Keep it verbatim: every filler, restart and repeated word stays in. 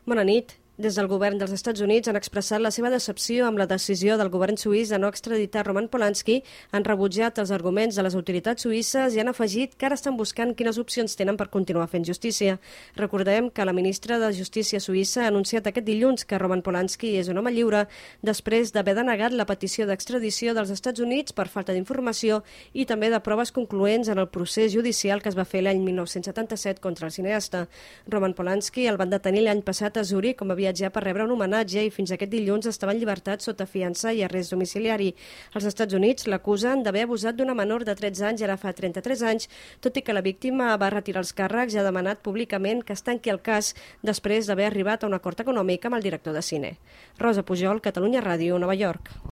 Bona nit. Des del govern dels Estats Units han expressat la seva decepció amb la decisió del govern suís de no extraditar Roman Polanski, han rebutjat els arguments de les autoritats suïsses i han afegit que ara estan buscant quines opcions tenen per continuar fent justícia. Recordem que la ministra de Justícia suïssa ha anunciat aquest dilluns que Roman Polanski és un home lliure després d'haver denegat la petició d'extradició dels Estats Units per falta d'informació i també de proves concloents en el procés judicial que es va fer l'any mil nou-cents setanta-set contra el cineasta. Roman Polanski el van detenir l'any passat a Zurich com a viatjar per rebre un homenatge i fins aquest dilluns estava en llibertat sota fiança i arrest domiciliari. Els Estats Units l'acusen d'haver abusat d'una menor de tretze anys i ara fa trenta-tres anys, tot i que la víctima va retirar els càrrecs i ha demanat públicament que es tanqui el cas després d'haver arribat a un acord econòmic amb el director de cine. Rosa Pujol, Catalunya Ràdio, Nova York.